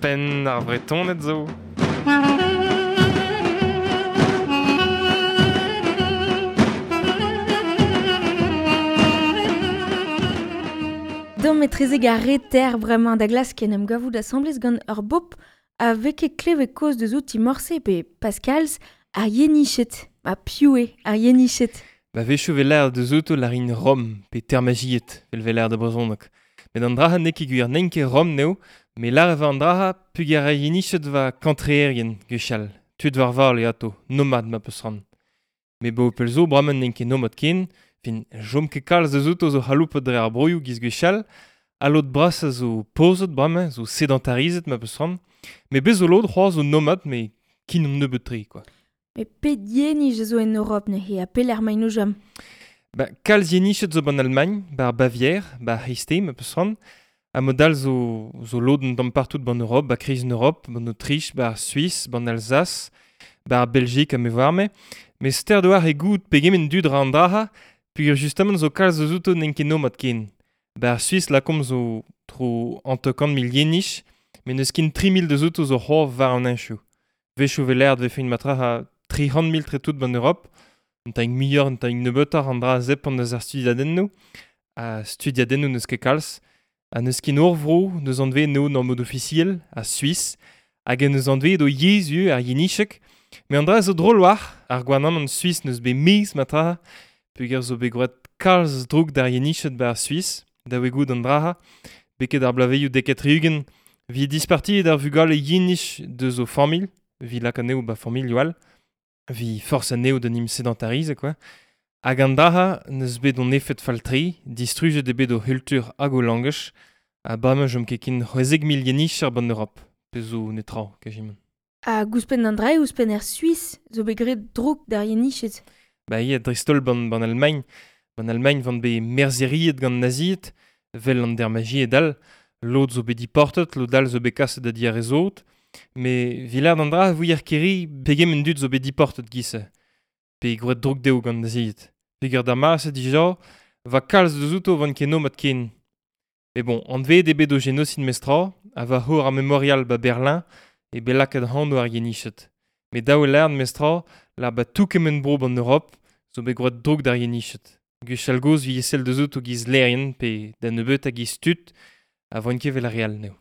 Penn ar Vretoned zo. Dom etrezek ar reter bremañ da glask en em gavout asambles gant ur bop a vez ket klevet kaoz deus outi morse pe Pascal's ar Yeniched. Ma piv eo ar Yeniched? Ba wechoù 'vez lâret deus outo lârin Rom pe termajied 'vel 'vez lâret e brezhoneg. Met an dra-se n'eo ket gwir, n'int ket Rom n'eo, met lâret e vez an dra-se peogwir ar Yeniched 'oa kantreerien gwechall, tud war vale atao, nomad ma peus c'hoant. Met 'baoe pell zo bremañ n'int ket nomad ken, fin 'chom ket kalz deus outo zo c'haloupet dre ar broioù giz gwechall, ha lod brasañ zo pozet bremañ, zo sedentarizet ma peus c'hoant. Met bez zo lod c'hoazh zo nomad met kin omp nebeut-tre quoi. Met pet yenij a zo en Europ neuze ha pelec'h emaint o chom? Ba, kalz yeniched zo ban Almagn, ba ar Bavière, ba ar C'hreisteiz ma peus c'hoant. Ha mod all zo, zo lod un tamm partout ban Europ, ba kreiz an Europ, ban Autriche, ba ar Suis, ban Alsace, ba ar Belgique ha me 'oar-me. Met stert oar e goût pegement dud ra an dra-se, peogwir justement zo kalz eus outo n'int ket nomad ken. Ba ar Suis lakaomp zo tro 50 mil yenich, met n'eus ken 3 000 deus outo zo c'hoazh war an heñchoù. Wechoù 'vez lâret 'vefe matraha 300 000 tre tout ban Europ, un tamm muioc'h, un tamm nebeutoc'h an dra zepant eus ar studiadennoù. Ha studiadennoù n'eus ket kalz. Ha n'eus ket ur vro n'eus anvet eo en mod ofisiel, ar Suis, hag en eus anvet o yezh ivez, ar yenicheg. Met an dra zo drol war, ar gouarnamant suis n'eus bet mez matraha, peogwir zo bet gwraet kalz droug d'ar yeniched ba ar Suis, da oe goût an dra-se, beket ar bloavezhioù 70 'vit dispartiet ar vugale yenich deus o familh, 'vit lakaat anezho ba familhoù all, 'vit forzh anezho d'en em sedentarizañ quoi. Hag an dra-se n'eus bet hon efed fall-tre, distrujet eo bet o c'hultur hag o langaj, ha bremañ chom ket ken 16 000 yenicher ban Europ, pezh zo netra, kajimant. Ha ouzhpenn an dra ouzhpenn er Suis zo bet graet droug d'ar Yeniched. Ba ya, dreist-holl ban, ban Almagn. Ban Almagn van bet merzheriet gant nazied, 'vel an dermajied all, lod zo bet diportet, lod all zo bet kaset da di ar re sot. Met 'vit lâret an dra 'vouier ket pegement dud zo bet diportet giz-se. Pe gwraet droug dezho gant nazied. Peogwir d'ar mare-se dija, 'va kalz deus outo 'vant ket nomad ken. Met bon, anvet eo bet o genosid mestra, ha war c'hor ar memorial ba Berlin eo bet lakaet anv ar Yeniched. Met dav eo lâret mestra, lâr ba tout kement bro ban Europ zo bet gwraet droug d'ar Yeniched. Gwechall gozh 'vije sell deus outo giz laerien pe da nebeutañ giz tud, ha 'voint ket 'vel ar re all anezho.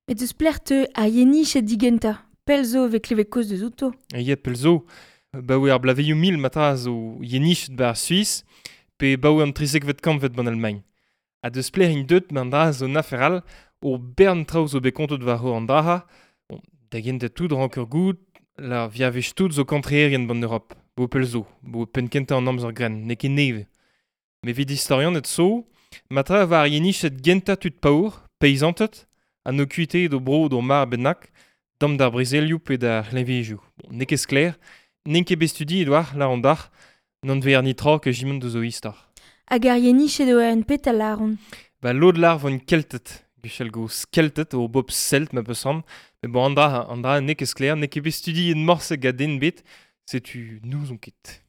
Met deus pelec'h 'teu ar Yeniched digentañ? Pell zo 'vez klevet kaoz deus outo. Ya, pell zo. Baoe ar bloavezhioù mil matra zo Yeniched ba ar Suis, pe baoe an 13vet kantved ban Almagn. Ha deus pelec'h int deut ma an dra zo un afer all, ur bern traoù zo bet kontet war an dra-se. Bon, da gentañ tout ranker goût, la viavech tout zo kantreerien ban Europ, bo pell zo, bo penn kentañ an amzer grenn, n'eo ket nevez. Met evit istorianed zo, matra war ar Yeniched gentañ tud paour, peizanted, ha n'o kuitaet o bro d'o mar bennak, dam d'ar brezelioù pe d'ar c'hleñvejoù. Bon, n'eo ket sklaer, n'int ket bet studiet war, lâr an dac'h, n'anveer netra kajimant deus o istor. Hag ar Yeniched eo en petra lâront? Ba lod lâr 'vont Kelted, gwechall gozh Kelted, o bobl Celt ma peus c'hoant. Met bon, an dra n'eo ket sklaer, n'eo ket bet studiet morse gant den bet, setu n'ouzon ket.